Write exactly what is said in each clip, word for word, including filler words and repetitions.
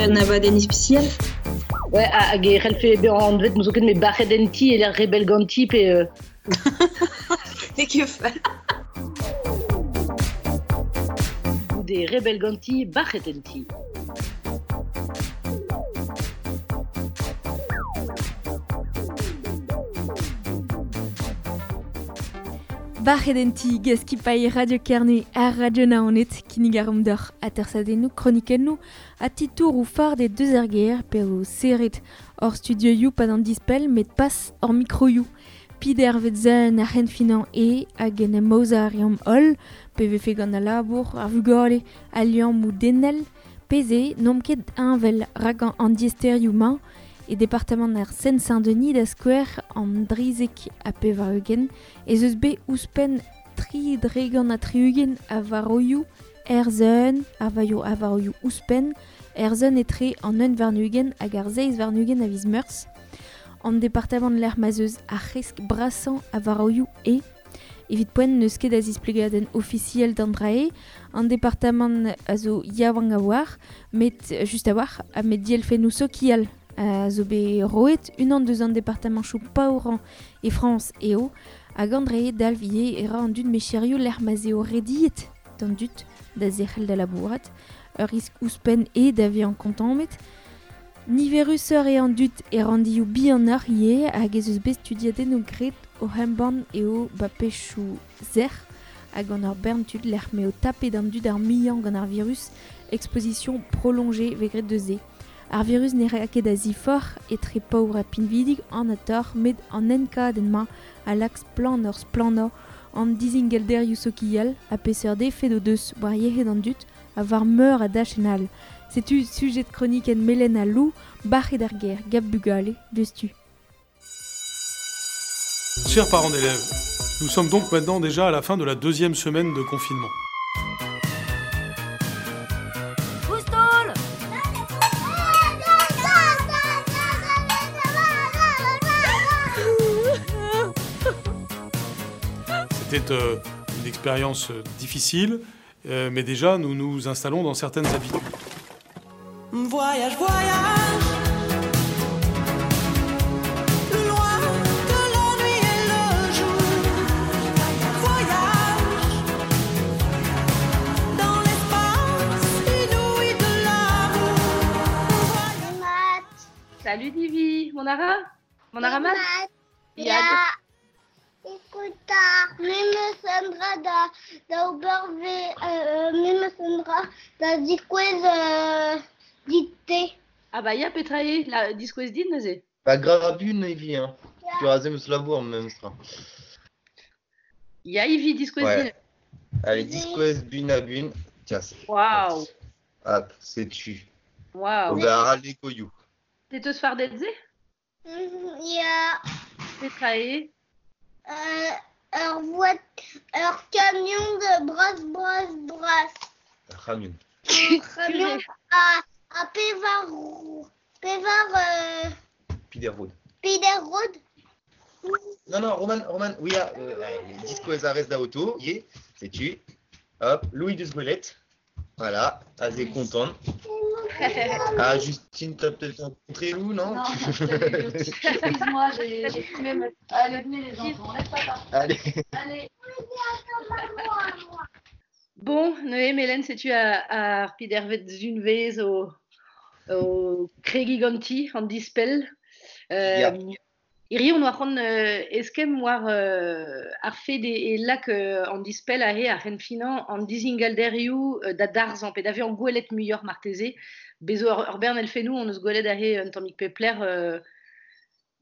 un abadenn ispisial. Ouais, hag e c'hellfe bezañ anvet n'eus ket met bac'het en ti e lec'h rebel ganti pe... Euh... N'eo ket fall. Goude rebel ganti, bac'het en ti. Bac'het en ti gaskipailh Radio Kerne ar Radio Naoned kinnig ar d'or atersadennoù kronikennoù a titour ou phar des deux erger pe o serret hor studioioù pad an dispel met pas hor mikroioù. Pider vet zen ar c'henfinan e hag en em aozañ ar reomp holl pe vefe gant al labour ar vugale al liamm ou denel peze n'omp ket heñvel rak an diaesterioù mañ e departamant ar Seine-Saint-Denis da skouer an drizek ha pevar-ugent ez eus bet ouzhpenn tri dregant ha tri-ugent a varoioù erzeun a vaio a varoioù ouzhpenn erzeun etre an un warn-ugent hag ar seizh warn-ugent a viz Meurzh. An departamant lec'h ma'z eus ar c'hresk brasañ a varoioù e evit poent n'eus ket a zisplegadenn ofisiel d'an drae. An departamant a zo yaouank a-walc'h, met just a-walc'h, ha met dielfennoù sokial a zo bet roet unan deus an departamanchoù paourañ e Frañs eo hag an drae dalv ivez e ra an dud mecherioù lec'h ma'z eo rediet d'an dud da zerc'hel da labourat ur risk ouzhpenn e da vezañ kontammet. Niverusoc'h eo an dud e randioù bihanoc'h ivez hag ez eus bet studiadennoù graet o embann eo bapechoù sec'h hag an ur bern tud lec'h m'eo tapet an dud ar muiañ gant ar virus exposition prolongée vez graet deus se. Ar virus ne ra ket a ziforc'h etre paour ha pinvidik an ator met an enkadenn-mañ a lak splann ur splannañ an dizingalderioù sokial ha peseurt efed o deus war yec'hed an dud ha war meur a dachenn all. Setu sujet kronikenn Melen ha Lou, bac'het ar gêr, gap bugale, deus-tu. Chers parents d'élèves, nous sommes donc maintenant déjà à la fin de la deuxième semaine de confinement. C'était euh, une expérience difficile, euh, mais déjà nous nous installons dans certaines habitudes. Voyage, voyage, loin de la nuit et le jour. Voyage dans l'espace inouï de l'amour. Salut Divi, mon ara, mon ara mat. Ya. Écoute, me sandra da da oberve euh, me sandra da diskouez euh, dit-te. Ah bah ya petra eo la diskouez dit neuze. Ba grabun evi hein. Tu raze meus labour memes tra. Ya Ivi diskouez Ouais. din. Allez, diskouez bun à bun. Tiens, c'est Waouh. Hop, c'est tu. Waouh. Ober a legoioù. Te teus fardet se? Ya. Petra eo? Euh, ur voit, ur camion de brasse, brasse, brasse. Ur camion. Ur camion a, a pevar, pevar euh, Peter Road. Peter Road. Non, non, Roman, Roman, oui, ah, euh, diskouez a rez da auto, yé, c'est tu. Hop, Louis de Sgouelet. Voilà, assez content. Ah, Justine, t'as peut-être rencontré Lou, non? Non, excuse-moi, j'ai, j'ai fumé ma... Allez, venez les enfants, laisse papa. Allez. Allez. Bon, Noé, Mélène, sais-tu a, a pidervet zunvez o, o kregi ganti an dispel. Euh, Ya. Iri, on oa c'hoant euh, eskemm war euh, ar fed e, e lak euh, an dispel a he ar c'henfinañ an dizingalderioù euh, da darzhañ pe da vezañ gwelet muioc'h marteze. Bezo ur, ur bern elfennoù on eus gwelet a he un tammig pepler euh,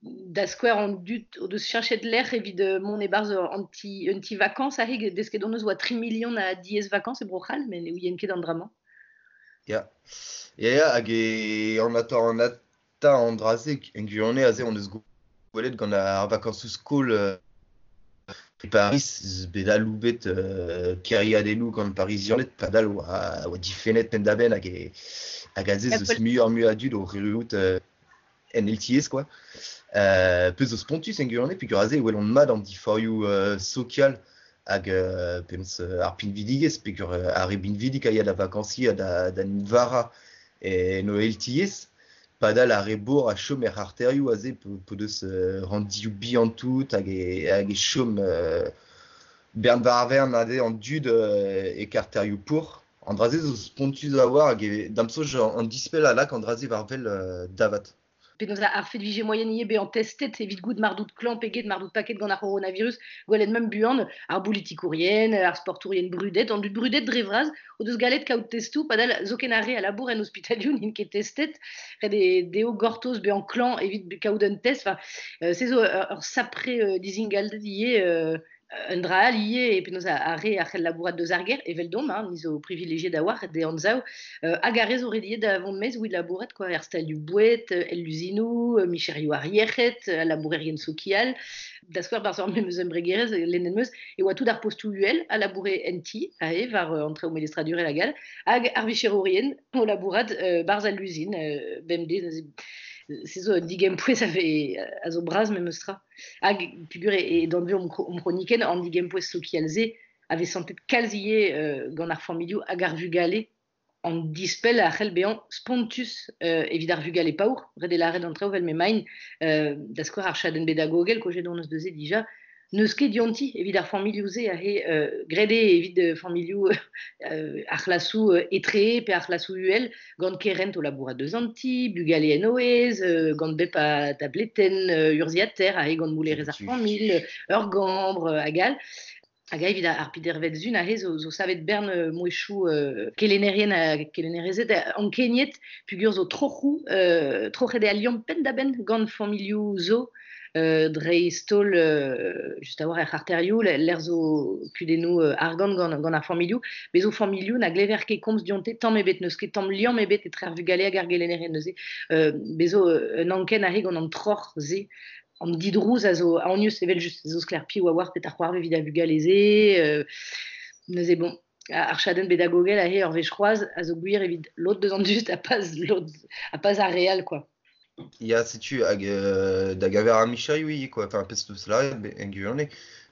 da skouer an dud o deus cheñchet lec'h evit euh, mont e-barzh an ti, un ti vacances a he desket on eus oa tri million a diez vacances e Bro-C'hall, met ne ouien ket an dra-mañ. Ya. Ya, ya, hag e an ata an ata an dra-se en gwirionez aze on eus gwelet gant ar vacances skol euh, e Paris, bet aloubet euh, kêriadennoù gant Parisianed, padal oa, oa difennet penn-da-benn hag e, hag aze Ya, zeus pol- muioc'h mui a dud o erruout euh, en L T S, quoi. Euh, peus zo spontus en gwirionez, peogwir aze e welont mat an diforioù euh, sokial hag euh, penaos euh, ar pinvidigezh, peogwir euh, ar re binvidik a ya da vakansiñ ha da, da vara e no eltiez, padal ar rebour a chom er arterioù aze po deus euh, randioù bihan tout hag e, hag e chom euh, bern varvern aze an dud euh, e karterioù pour. An draze zo spontus a war hag e damsoj an dispel a lak an draze varvel euh, davat. Penaos ar fet vije moyen ie bezañ testet evit goût mardout klan peget mardout paket gant ar coronavirus gwelet mem buan ar bolitikourien, ar sportourien brudet, an dud brudet dre vras o deus galet kaout testou padal zoken ar re a labour en ospitalioù n'int ket testet ret e deo gortoz bezañ klan evit kaout un test enfin euh, se zo ur sapre euh, dizingaldet ie euh, un dra all ivez e penaos ar re ar c'hell labourat deus ar ger evel domp hein, ni zo privilegié da war de anzav euh, hag ar re zo rediet da vont mez ouid labourat quoi er stalioù boued, el luzinou, micherioù ar yec'hed, labourerien sokial da skouer barzh ar memes embregerezh lennet meus e oa tout ar postoù uhel a laboure en ti ae war euh, an traoù melestradurel hag all hag ar vicherourien o labourat euh, barzh al luzin euh, bemdez se zo un digempouez a ve a zo bras memes tra hag pugur e, e danve om, om chroniken an digempouez sokial se a vez santet kalz ivez euh, gant ar familhoù hag ar vugale an dispel a c'hell bezañ spontus euh, evit ar vugale paour ret e lâret an traoù vel m'emaint euh, da skouer ar chadenn bedagogel kojet hon eus neuze dija n'eus ket dionti evit ar familhoù-se aze euh, graet eo evit euh, familhoù euh, ar c'hlasoù euh, etre pe ar c'hlasoù uhel gant kerent o labourat deus an ti, bugale en oez, euh, gant bep a tabletenn euh, urzhiataer aze gant moulerez ar familh, ur gambr euh, hag all. Hag a evit ar pidervet zun aze zo, zo savet bern euh, mouezhioù euh, kelennerien ha kelennerezed ankeniet pugur zo troc'hoù euh, troc'het eo al liamm penn-da-benn gant familhoù zo euh, dreist-holl euh, just a-walc'h er c'harterioù l'air zo kudennoù euh, argant gant, gant ar familhoù bez zo familhoù na glever ket komz dionte tamm ebet n'eus ket tamm liamm ebet etre ar vugale hag ar gelennerien neuze euh, bez zo un anken aze gant an troc'h-se an didrouz a zo aonius evel just zo sklaer piv a oar petra c'hoarve evit ar vugale-se euh, neuze bon ar chadenn bedagogel aze ur wech c'hoazh a zo gwir evit lod deus an dud ha pas lod ha pas ar re all quoi. Ya setu hag euh, da gaver ar micherioù ivez quoi enfin pezh deus lâret en gwirionez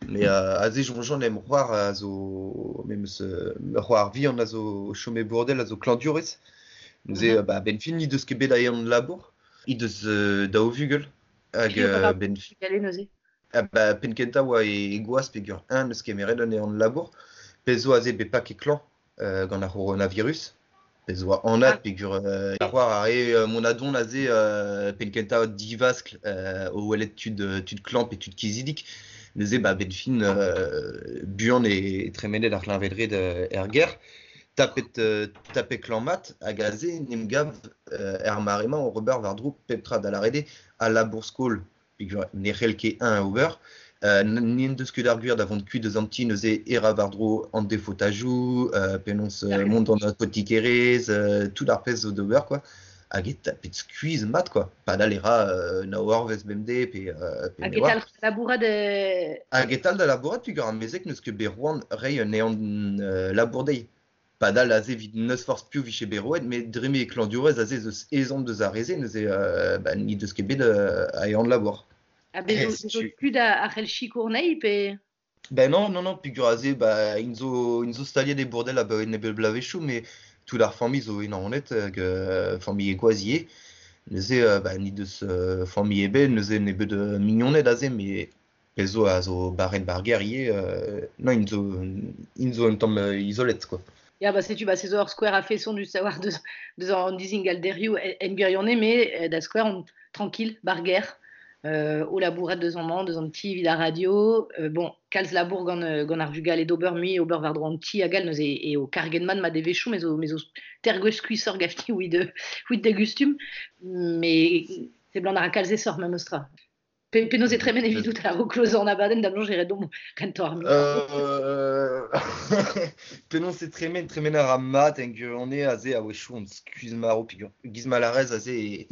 mais euh, aze soñjan em c'hoar a zo memes euh, c'hoar vihan a zo chom e Bourdel a zo klañvdiourez neuze mm -hmm. bah, ben fin he deus ket bet a ehan labour he deus euh, daou vugel hag euh, ben vugale neuze ah, bah, penn kentañ oa e, e gwaz peogwir eñ n'eus kemeret un ehan labour pezh zo aze bet paket klañv euh, gant ar coronavirus pezh oa anat ah. peogwir euh, ar c'hoar a re euh, mont a-don aze euh, penn kentañ divaskl euh, o welet tud, tud klañv pe tud kizidik neuze ba ben fin euh, buan e, e tremenet ar c'hleñved-red euh, er gêr tapet euh, tapet klañv mat hag aze n'em gav euh, er mare-mañ o ober war-dro pep tra da lâret eo al labour skol peogwir ne c'hell ket eñ ober euh, n'en deus ket ar gwir da vont kuit deus an ti neuze e ra war-dro an defotajoù euh, penaos euh, mont d'an apotikerezh euh, tout ar pezh zo d'ober quoi hag e tapet skuizh mat quoi padal e ra euh, nav eurvezh bemdez pe euh, pe Hag e talc'h da labourat euh... Hag e talc'h da labourat peogwir ar mezeg n'eus ket bet c'hoant reiñ un ehan euh, labour dezhi padal aze evit n'eus forzh piv vije bet roet met dre m'eo klañvdiourez aze ez eus ezhomm deus ar re-se neuze euh, bah, n'he deus ket bet euh, a ehan labour. Ha bez zo, zo tud a, a c'hell sikour anezhi pe Ben non, non, non, peogwir aze bah, int zo, int zo staliet e Bourdel abaoe nebeut bloavezhioù met tout ar familh zo e Naoned hag euh, familh e gwaz ivez neuze euh, bah, n'he deus euh, familh ebet neuze nebeut euh, mignoned aze met pezh zo a zo barret bar gêr ivez euh, non int zo, int zo un tamm euh, izolet quoi. Ya, ba setu ba se zo ur skouer a-feson du savoir deus, deus an dizingalderioù en gwirionez met da skouer on tranquille bar gêr euh, o labourat deus an mañ, deus an ti evit ar radio euh, bon kalz labour gant, gant ar vugale d'ober mui ober war-dro an ti hag all neuze e o karget mat ma devezhioù me zo, me zo tergwech skuizhoc'h gafti ouid, ouid da gustum mais seblant a ra kalz esoc'h memes tra. Pe, penaos e tremen evidout a-raok klozañ an abadenn da bloñj e redomp kentañ ar micro. Euh... penaos e tremen, tremen a ra mat en gwirionez aze a-wechoù on skuizh marv peogwir giz ma lârez aze e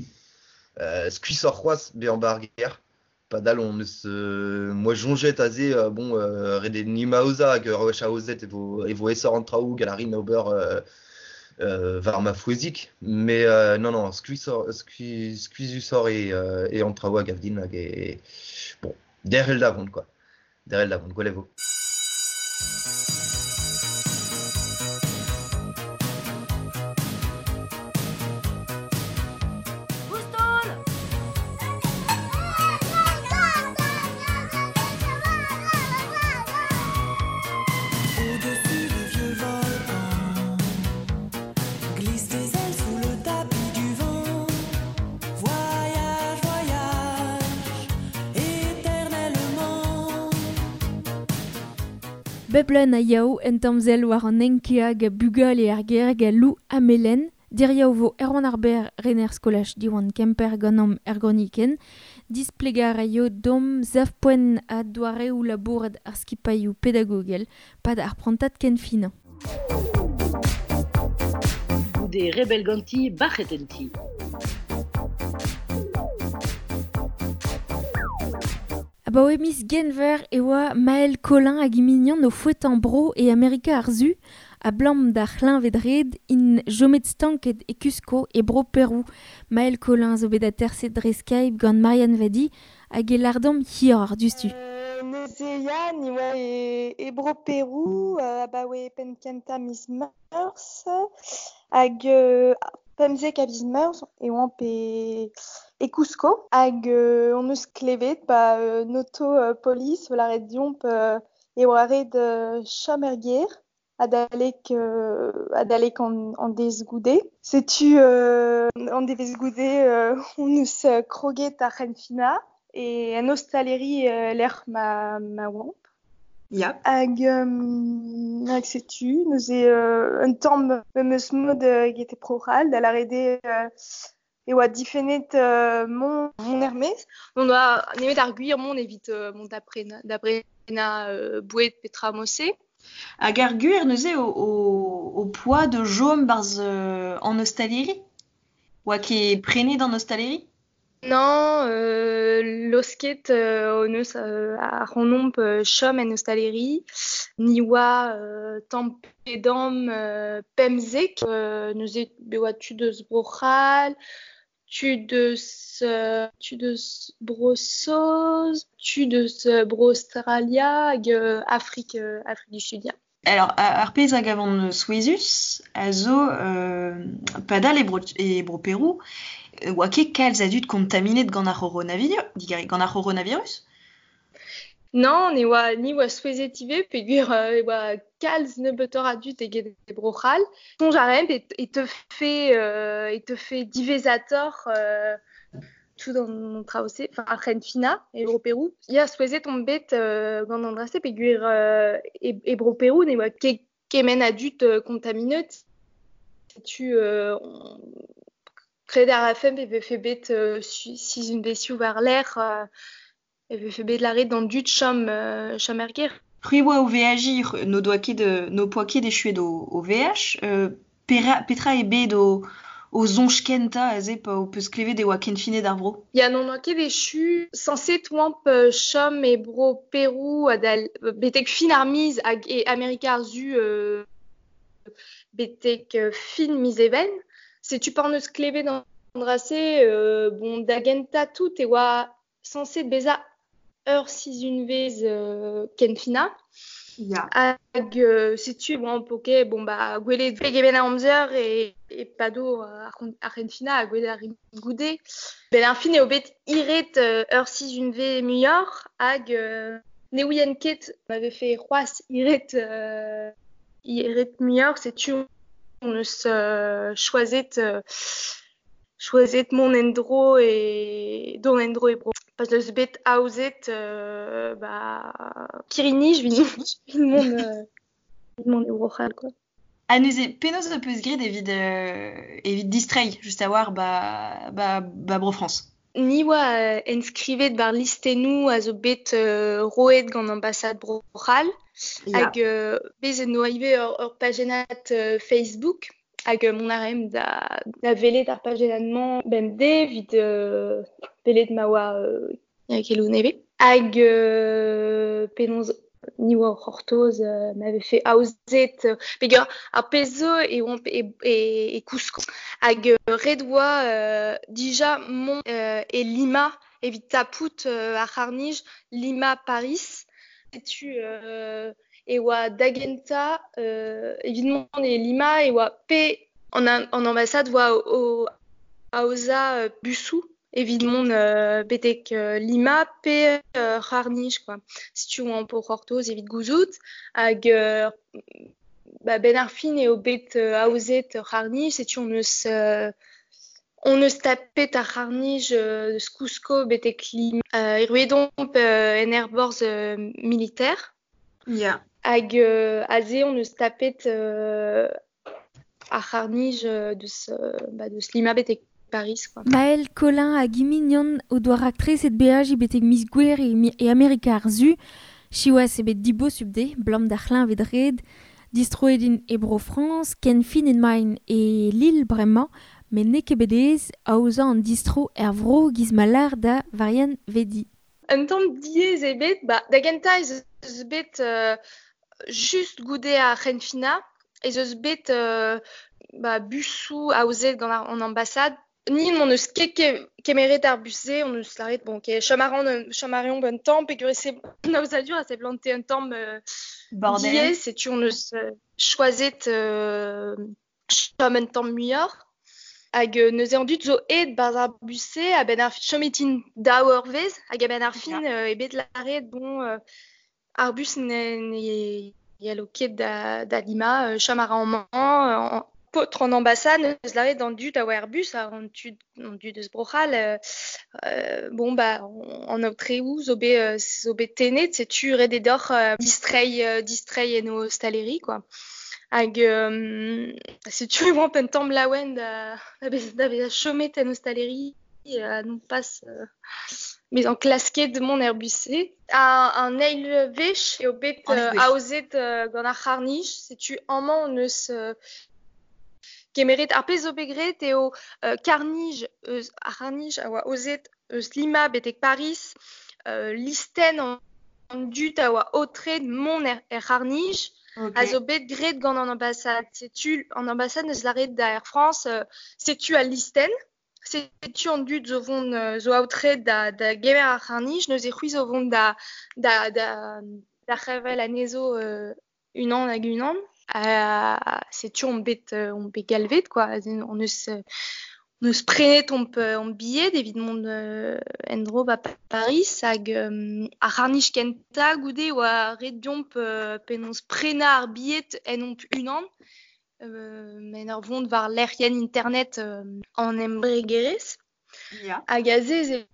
euh, skuizhoc'h c'hoazh bezañ bar gêr. Padal on eus euh, moi soñjet aze euh, bon euh, ret eo ni aozañ hag ur wech aozet e vo, e vo aesoc'h an traoù gant a rin ober euh, euh, war ma frouezhig mais euh, non non skuizhoc'h skuizh, skuizhusoc'h eo euh, eo an traoù a gav din hag e bon derc'hel da vont quoi derc'hel da vont gwell e vo. Beblen a yaou en tamzel war an enkea ga bugale ar ger ga lou amelen. Diriaou vo Erwan ar Ber rener skolaj Diwan Kemper ganom ergoniken. Displegar a yo dom zavpoen a doareoù labourat ar skipailhoù pedagogel pad ar prantat ken finañ. Goude rebel ganti bac'het en ti. Abaoe miz Genver e oa Maël Collin hag imignon o fouetan bro e Amerika ar Su a blam d'ar c'hleñved red in jomet stanket e Cusco e bro Perou. Maël Collin zo bet aterset dre Skype gant Marianne Vadi hag e lardom hir ar dustu. Euh, neuze ya, ni oa e, e bro Perou, euh, abaoe penn kentañ miz Meurzh, hag euh, pemzek a viz Meurzh e oamp e, e Cusco, hag euh, on eus klevet ba euh, noto euh, polis o lâret deomp euh, e oa ret euh, chom er gêr, adalek, euh, adalek an, an deiz goude. Setu euh, an devezh goude euh, on eus euh, kroget ar c'henfinañ e en ostaleri euh, lec'h ma, ma oamp. Ya. Hag, euh, hag setu, neuze euh, un tamm memes mod euh, get e Bro-C'hall, da lâret eo euh, e oa difennet euh, mont, mont er-maez. On oa nemet ar gwir mont evit euh, mont da prena, da brena euh, boued petra mose. Hag ar gwir neuze o, o, o poa de jom barz euh, an ostaleri? Oa ket prenet an ostaleri? Non, euh, losket euh, on eus euh, ar c'honomp euh, chom en ostaleri, ni oa euh, tamm pe damm euh, pemzek, euh, neuze be oa tud eus Bro-C'hall, tud eus, euh, tud eus Bro-Saoz, tud eus euh, Bro-Australia hag euh, Afrique, euh, Afrique du Sud, ya. Alors, ar pezh hag avant souezhus a zo euh, padal e bro, e bro Perou, oa ket kalz a dud kontaminet gant ar c'horonavirus, digare, gant ar c'horonavirus? Non, ne oa, ni oa souezhet ivez, peogwir euh, e oa kalz nebeutoc'h a dud eget e Bro-C'hall. Soñj a raemp e, e teufe, euh, e teufe diwezhatoc'h euh, tout an traoù-se, enfin ar c'henfinañ e bro Perou. Ya, souezhet on bet euh, gant an dra-se peogwir euh, e, e bro Perou ne oa ket kement a dud euh, kontaminet. Setu euh, on kred ar rafen e vefe bet euh, sizhunvezhioù war-lerc'h euh, e vefe bet lâret d'an dud chom, euh, chom er gêr. C'hwi oa o veajiñ n'o doa ket n'o poa ket echuet o, o veaj, euh, pera, petra eo bet o, o soñj kentañ aze pa ho peus klevet e oa kenfinet ar vro? Ya, n'on oa ket echu, sañset oamp euh, chom e bro Perou adal, betek fin ar miz hag e Amerika ar Su euh, betek euh, fin miz Even. Setu pa hon eus klevet an dra-se, euh, bon, da gentañ tout e oa sañset bezañ ur sizhunvezh euh, kenfinañ. Ya. Hag euh, setu oamp ok, bon ba gwelet pegement a amzer e, e pado ar c'hon-, ar c'henfinañ ha gwelet ar goude. Ben ar fin eo bet hiret euh, ur sizhunvezh muioc'h hag euh, ne ouien ket ma vefe c'hoazh hiret, euh, hiret muioc'h, setu on eus euh, choazet, euh, choazet mont en-dro e dont en-dro e bro. Pas eus bet aozet euh, ba kirri-nij evit evit mont euh, evit mont e Bro-C'hall, quoi. Ha neuze, penaos ho peus graet evit, euh, evit distreiñ just a-walc'h ba, ba, ba Bro-Frañs? Ni oa euh, enskrivet war listennoù a zo bet euh, roet gant ambassade Bro-C'hall. Ya. Hag euh, bez en doa ivez ur, ur pajennad euh, Facebook hag euh, mont a raemp da, da welet ar pajennad-mañ bemdez evit euh, welet ma oa euh, keloù nevez. Hag euh, penaos ni oa o c'hortoz euh, ma vefe aozet euh, peogwir ar pezh zo e oamp e, e, e Cusco. Hag euh, ret oa euh, dija mont euh, e Lima evit tapout euh, ar c'harr-nij Lima-Paris. Setu euh, e oa da gentañ euh, evit mont e Lima e oa pe an, an ambassade oa o, o aozañ euh, busoù evit mont euh, betek euh, Lima pe euh, c'harr-nij, quoi. Setu oamp o c'hortoz evit gouzout hag euh, ba, ben ar fin eo bet euh, aozet ur c'harr-nij, setu on eus euh, on eus tapet ar c'harr-nij euh, eus Cusco betek Lima. Euh, erruet omp euh, en aerborzh euh, militaire. Ya. Hag euh, aze on eus tapet euh, ar c'harr-nij euh, deus, euh, ba, deus Lima betek Paris, quoi. Maël Colin hag he mignon o doa raktreset beajiñ betek miz Gouere e, mi- e Amerika ar Su, siwazh eo bet dibosupl dezhe, 'blam d'ar c'hleñved-red, distroet int e Bro-Frañs, ken fin emaint e Lille bremañ, met n'eo ket bet aes aozañ an distro er vro giz ma lâr da Varianne Vedi. Un tamm diaes eo bet, ba, da gentañ ez eus bet euh, just goude ar c'henfinañ, ez eus bet euh, ba, busoù aozet gant ar, an ambassade. Ni n'hon eus ket ke- kemeret ar bus-se, on eus lâret, bon, ok, chom a ran, chom a reomp un tamm, peogwir se an aozadur a seblante un tamm euh, Bordel. diaes, setu on eus euh, choazet euh, chom un tamm muioc'h. Hag euh, neuze an dud zo aet 'barzh ar bus-se, a-benn ar chomet int daou eurvezh, hag a-benn ar fin euh, eo bet lâret, bon, euh, ar bus ne, ne yelo ket da, da Lima, euh, chom a ra amañ, euh, en, paotr an ambassade, neus lâret an dud a oa er bus, ar an tud, an dud eus Bro-C'hall, euh, euh, bon, ba, an aotreoù zo bet, euh, zo bet tennet, setu ret eo deoc'h euh, distreiñ, euh, distreiñ en ho ostaleri, quoi. Hag euh, setu e oamp un tamm laouen da, da, bez, da vezañ chomet en ostaleri, euh, non pas euh, bezañ klasket mont er bus-se. A, an eil wech eo bet An eil euh, wech. aozet euh, gant ar c'harr-nij, setu amañ on eus euh, kemeret ar pezh zo bet graet eo euh, karr-nij eus ar c'harr-nij a oa aozet eus Lima betek Paris, euh, listenn an, an dud a oa aotreet mont er, er c'harr-nij, Ok. a zo bet graet gant an ambassade. Setu an ambassade neus lâret da Air France, euh, setu al listenn, setu an dud zo vont euh, zo aotreet da, da gemer ar c'harr-nij, neuze c'hwi zo vont da, da, da, da c'hervel anezho euh, unan hag unan. Ha setu on bet, euh, on bet galvet, quoi. On eus, euh, on eus prenet omp, euh, omp bilhed evit mont euh, en-dro ba Paris hag euh, ar c'harr-nij kentañ goude oa ret deomp euh, penaos prenañ ar bilhed en omp unan. Euh, en ur vont war lec'hienn internet euh, an embregerezh. Ya. Hag aze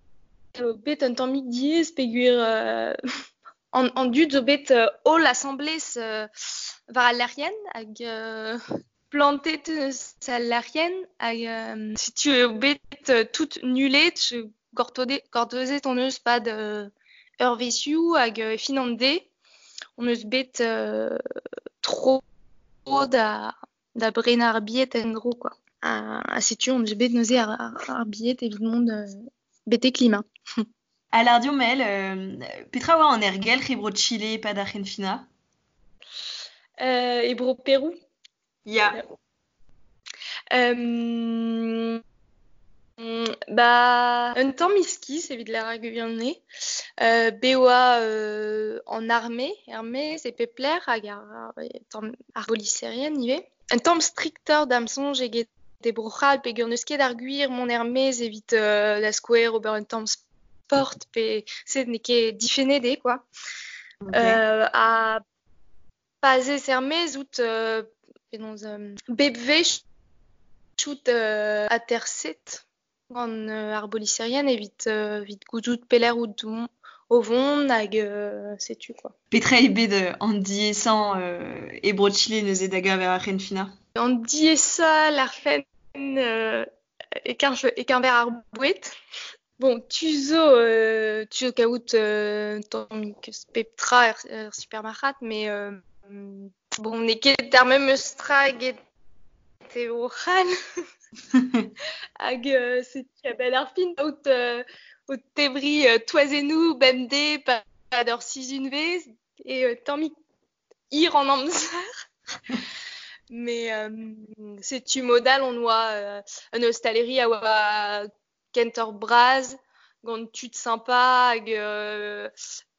eo bet un tammig diaes peogwir euh, an, an dud zo bet euh, holl asambles euh, war al lec'hienn hag euh, plantet eus al lec'hienn hag euh, setu eo bet euh, tout nullet, gortode, gortozet on eus pad euh, eurvezhioù hag euh, fin an deiz on eus bet euh, tro da, da brenañ ar bilhed en-dro, quoi. Ha, ha setu on eus bet neuze ar, ar, ar bilhed evit mont euh, betek Lima. Ha lâr deomp Maëlle, euh, petra oa an aergelc'h e bro Chile e-pad ar c'henfinañ? Euh, e bro Perou. Ya. Euh, ba, un tamm iskis evit lâret ar gwirionez. Euh, bet oa euh, an arme, er-maez e pep lec'h hag ar, ar, tamm ar boliserien ivez. Un tamm striktoc'h da'm soñj eget e Bro-C'hall peogwir n'eus ket ar gwir mont er-maez evit euh, da skouer ober un tamm sport pe se n'eo ket difennet eo, quoi. Ok. Euh, ha pa 'z ez er-maez out euh, penaos euh, bep wech out euh, aterset gant euh, ar boliserien evit, euh, evit gouzout pelec'h out o vont hag euh, setu, quoi. Petra eo bet euh, an diaesañ euh, e bro Chile neuze da geñver ar c'henfinañ? An diaesañ lârfen euh, e-keñver e-keñver ar boued. Bon, tu zo, euh, tu zo kaout euh, tammig pep tra er, er supermarc'had, mais euh, bon, n'eo ket ar memes tra eget e Bro-C'hall. Hag euh, setu a-benn ar fin out, euh, o tebriñ euh, toazennoù bemdez pad ur sizhunvezh e euh, tammig hir an amzer. Mais euh, setu mod all on oa euh, un ostaleri a oa kentoc'h bras, gant tud sympa hag euh,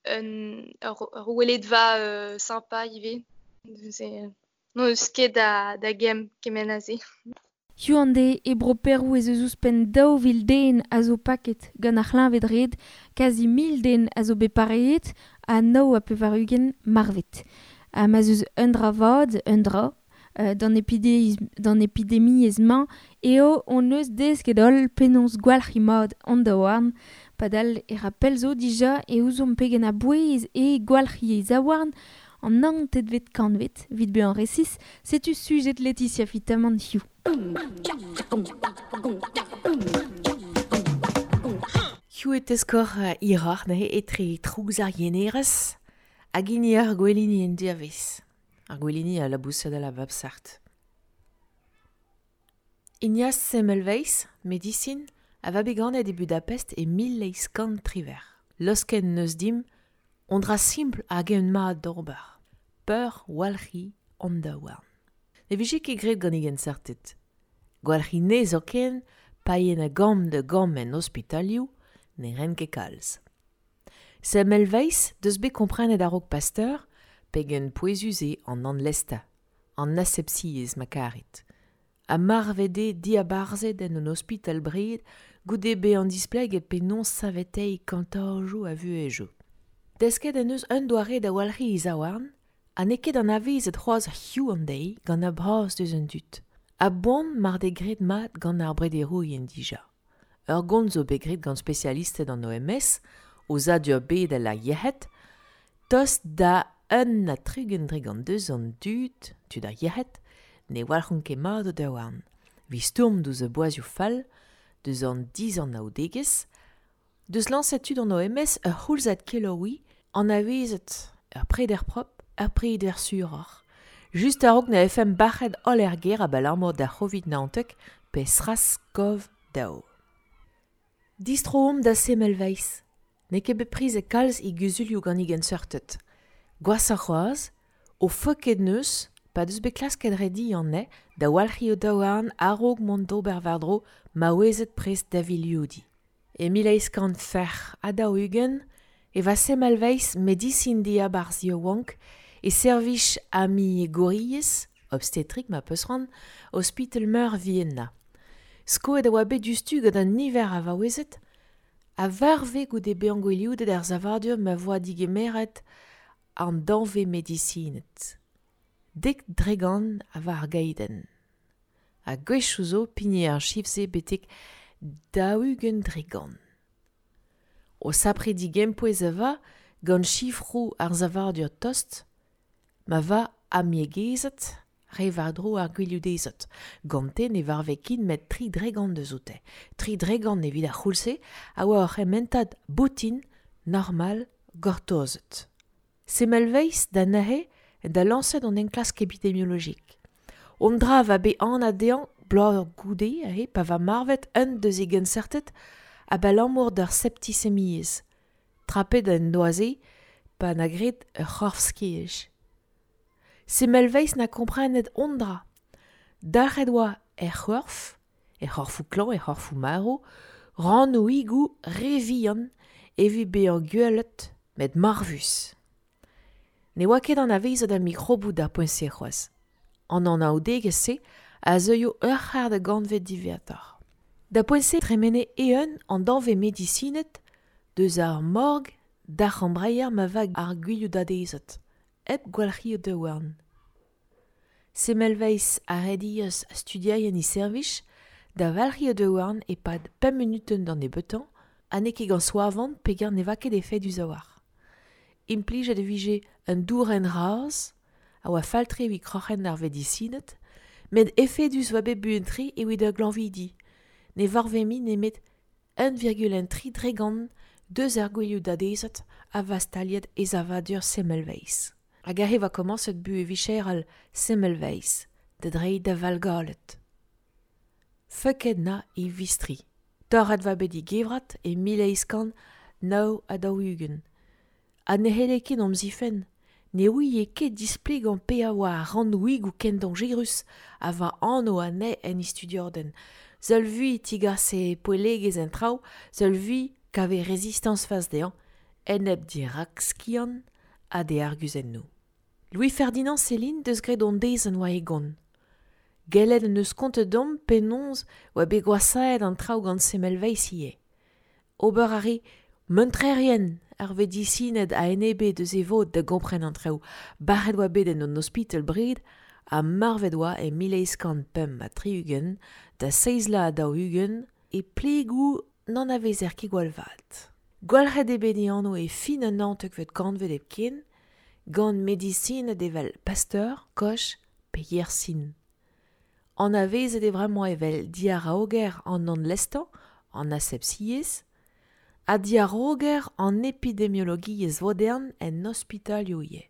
un, ur, ur weledva euh, sympa ivez. Neuze n'on eus ket da, da gemm kement aze. Hiziv an deiz e bro Perou ez eus ouzhpenn daou vil den a zo paket gant ar c'hleñved-red, kazi mil den a zo bet pareet ha nav ha pevar-ugent marvet. Ha ma'z eus un dra vat, un dra, euh, d'an epidemiezh, d'an epidemiezh-mañ eo hon eus desket holl penaos gwalc'hiñ mat an daouarn, padal e ra pell zo dija e ouzomp pegen a-bouez eo gwalc'hiñ e zaouarn, an naontekvet kantved, evit bezañ resis, setu sujet Laetitia Fitamant hiziv. Hiziv e teskor hiroc'h neuze etre trouz ar yenerez hag hini ar gwelini en diavez. Ar gwelini a labousad a la bab sart. Ignaz Semmelweis, medisin, a va bet ganet e Budapest e mil eizh kant triwec'h. Losken neus dimp on dra simpl hag eeun mat d'ober. Peur walc'hi an daouarn. Ne vije ket graet gant e genseurted. Gwalc'hi ne zoken, paien a gamm da gamm en ospitalioù, ne ren ket kalz. Semmelweis deus bet komprenet a-raok Pasteur pegen pouezus eo an anlesta, an asepsiezh ma karit. Ha marvet eo diabarzhet en un ospital bred goude bezañ displeget penaos saveteiñ kantajoù a vuhezioù. Desket en deus un doare da walc'hiñ e zaouarn ha n'eo ket anavezet c'hoazh hiziv an deiz gant ar bras deus an dud. A-boan mar deo graet mat gant ar brederourien dija. Ur gont zo bet graet gant spesialisted an O M S, aozadur bedel ar yec'hed, tost da un ha tregont dregont deus an dud, tud ar yec'hed, ne walc'hont ket mat o daouarn. Evit stourm diouzh ar boazioù fall, deus an dizanaoudegezh, deus lañset tud an O M S ur c'houlzad kelaouiñ anavezet ur preder propr, ur preder suroc'h. Just a-raok na vefe bac'het holl er gêr abalamour d'ar C'hovid naontek pe SRAS-CoV daou. Distro omp da Semmelweis. N'eo ket bet prizet kalz e guzulioù gant e genseurted. Gwashoc'h c'hoazh, o feuket neus, pa deus bet klasket rediñ anezhe da walc'hiñ o daouarn a-raok mont d'ober war-dro maouezed prest da vilioudiñ. E mil eizh kant c'hwec'h ha daou-ugent e va Semmelweis medisin diabarzh yaouank e servij amiegouriezh, obstetrik ma peus c'hoant, ospital meur Vienna. Skoet a oa bet diouzhtu gant an niver a vaouezed a varve goude bezañ gwilioudet er savadur ma voa digemeret an danvez medisined. Dek dregant a var ar gaidenn. Ha gwechoù zo pignet ar chif-se betek daou-ugent dregant. O sapre digempouez a va gant chifroù ar savadur tost, ma va amiegezed re war-dro ar gwilioudezed. Gante ne varve ket met tri dregant deus oute. Tri dregant evit ar c'houlz-se a oa ur c'hementad boutin normal gortozet. Semmelweis da neuze da lañset an enklask epidemiologik. On dra va bet anat dezhañ bloaz goude aze pa va marvet un deus e genseurted abalamour d'ur septisemiezh. Trapet en doa-se pa na graet ur c'horf-skej. Semmelweis na komprenet on dra. Dalc'het oa er c'horf, er c'horfoù klañv, er c'horfoù marv, rannoùigoù re vihan evit bezañ gwelet met marvus. Ne oa ket anavezet ar mikroboù d'ar poent-se c'hoazh. An anaoudegezh-se a zeuio ur c'hard a gantved diwezhatoc'h. Da poent-se tremene eeun an danvez medisined deus ar morg d'ar c'hambreier ma vag ar gwilioudadezed, hep gwalc'hiñ o daouarn. Semmelweis a redias studierien e servij da walc'hiñ o daouarn e-pad pemp munutenn d'an nebeutañ ha n'eo ket gant soavon peogwir ne va ket efedus a-walc'h. Implijet e vije un dourenn raz a oa fall-tre evit kroc'hen ar vedisined, met efedus oa bet buan-tre evit ar glañvidi. Ne varve mui nemet un virgule un tri dregant deus ar gwilioudadezed a va staliet e savadur Semmelweis. Hag aze va komañset buhez vicherel Semmelweis, da dreiñ da valgalet. Feuket na e vistri. Torret va bet e gevrat e mil eizh kant nav ha daou-ugent. Ha ne c'helle ket omp zifenn. Ne ouie ket displegañ pe a oa ar rannoùigoù ken dañjerus a va anv anezhe en e studiadenn. Seul vui tigase poellegezh en traoù, seul vui kave rezistañs fas dezhañ, enep dirak-skiant ha d'e arguzennoù. Louis-Ferdinand Céline deus graet hon dezenn war e gont. Gellet en deus kontet deomp penaos oa bet gwashaet an traoù gant Semmelweis ivez. Ober a re muntrerien ar vedisined a enebe deus e vod da gompren an traoù. Bac'het oa bet en un ospital bred ha marvet oa e mil eizh kant pemp ha tri-ugent da seizh vloaz ha daou-ugent e plegoù n'anavezer ket gwall vat. Gwalc'het eo bet e anv e fin an naontekvet kantved hepken, Gant medisined evel Pasteur, Koch pe Yersin. Anavezet eo bremañ evel diaraoger an anlestañ, an asepsiezh, ha diaraoger an epidemiologiezh vodern en ospitalioù ivez.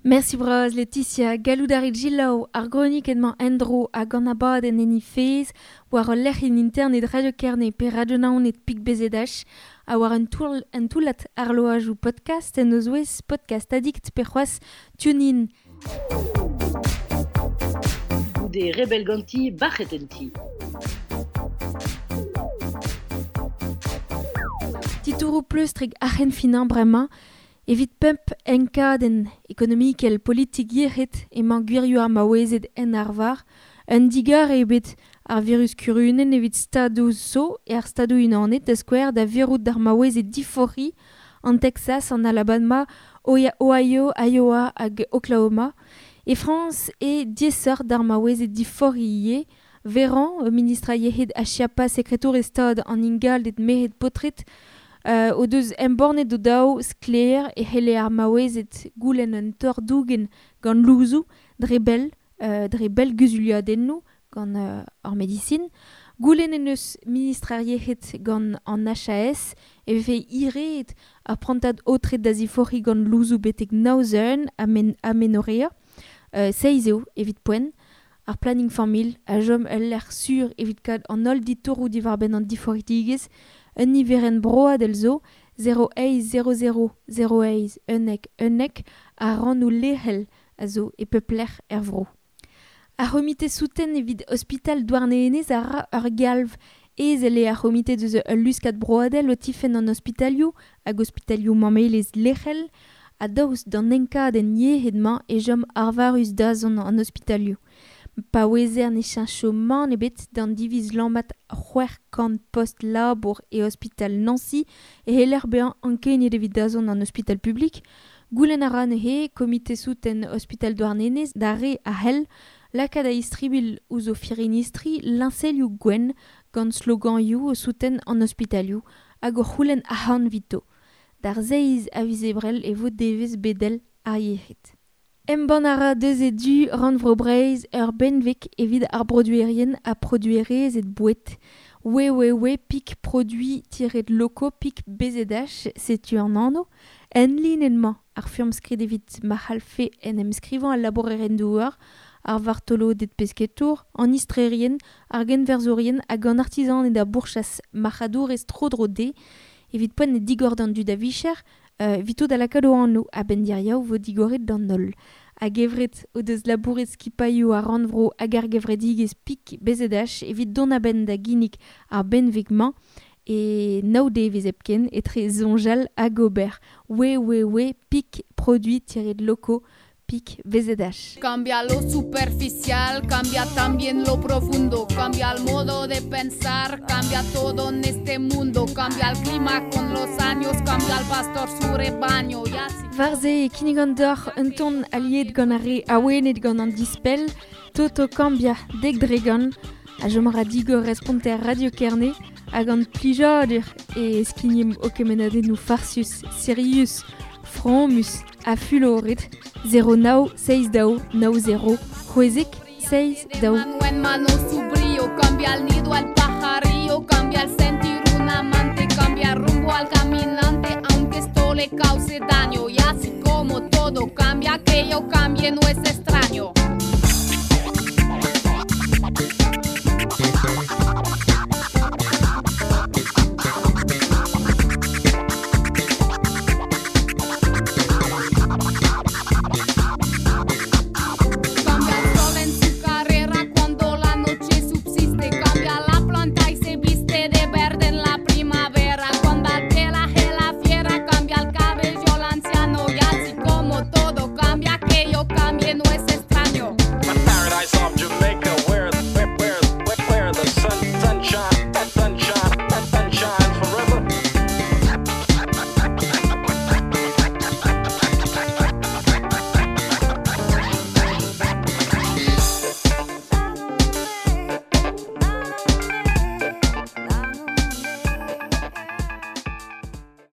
Merci bras Laetitia, gallout a rit selaou ar gronikenn-mañ en-dro hag an abadenn en he fezh war ul lec'hienn internet Radio Kerne pe Radio Naoned pik B Z H ha war un toull, un toullad arloajoù podcast en o zouez Podcast Addict pe c'hoazh TuneIn. Goude rebel ganti, bac'het en ti. Titouroù pleustrek arc'hen finañ bremañ, evit pemp enkadenn ekonomikel politik yec'hed emañ gwirioù ar maouezed en arvar, un digar eo bet ar virus kurunenn evit stadoù zo e ar stadoù unanet da skouer da virout d'ar maouezed diforc'hiñ an Texas, an Alabama, Ohio, Iowa hag Oklahoma. E Frañs e diaesoc'h d'ar maouezed diforc'hiñ ivez. Véran, ministr a yec'hed ha Schiappa, sekretour e stad an ingalded merc'hed paotred, Euh, o deus embannet o daou sklaer e c'helle ar maouezed goulenn un torr-dougen gant louzoù dre bell, euh, dre bell guzuliadennoù gant euh, ar medisin. Goulenn en eus ministr ar yec'hed gant an H A S e vefe ireet ar prantad aotret da ziforc'hiñ gant louzoù betek naozeun amen, amenorea. Euh, seizh eo evit poent. Ar planning familh a chom ul lec'h sur evit kad an holl ditouroù diwar-benn an diforc'hidigezh. Un niverenn broadel zo zéro eizh zéro zéro zéro eizh unnek unnek a rannoù lec'hel a zo e pep lec'h er vro. Ar c'homite souten evit ospital Douarnenez a ra ur galv ezel eo ar c'homite deus ul luskad broadel o tifenn an ospitalioù hag ospitalioù mammelezh lec'hel a daoust d'an enkadenn yec'hed-mañ e chom arvarus dazont an ospitalioù. Pa ouezer ne cheñcho mann ebet d'an diviz lammat c'hwec'h kant post labour e ospital Nancy e c'heller bezañ ankeniet evit dazont an ospital publik. Goulenn a ra neuze komite souten ospital Douarnenez da re a c'hell lakaat a istribil ouzh o firinistri liñselioù gwenn gant sloganioù o souten an ospitalioù hag o c'houlenn arc'hant 'vito. D'ar seizh a viz Ebrel e vo devezh bedel ar yec'hed. Embann a ra deus e du Rannvro Breizh ur benveg evit ar broduerien ha produerezed boued. w w w pik produit tiret locaux pik B Z H, setu an anv. En linenn-mañ ar furmskrid evit ma c'hallfe en em skrivañ al labourerien douar, ar vartoloded pesketour, an istrerien, ar genverzourien hag an artizaned a bourchas marc'hadourez tro-dro dezhe, evit poent e digor d'an dud a vicher, euh, evito da lakaat o anv a-benn diriaou vo digoret d'an holl. Hag evret o deus labouret skipailhoù ar rannvro hag ar gevredigezh pik B Z H evit dont a-benn da ginnig ar benveg-mañ e nav devezh hepken etre soñjal hag ober. w w w pik produit tiret locaux pik B Z H. Cambia lo superficial, cambia también lo profundo, cambia el modo de pensar, cambia todo en este mundo, cambia el clima con los años, cambia el pastor su rebaño. Y así... War-se e kinnig an deoc'h un ton aliet gant ar re awenet gant an dispell, Toto Cambia dek dregant, a chom ra digor responter Radio Kerne, hag an plijadur e skignim o kemennadennoù farsus, sirius, fromus ha fuloret, zéro nav seizh daou nav zéro c'hwezek seizh daou. Mano en mano su brío, cambia el nido al pajarillo, cambia el sentir un amante, cambia rumbo al caminante, aunque esto le cause daño. Y así como todo cambia, que yo cambie no es extraño.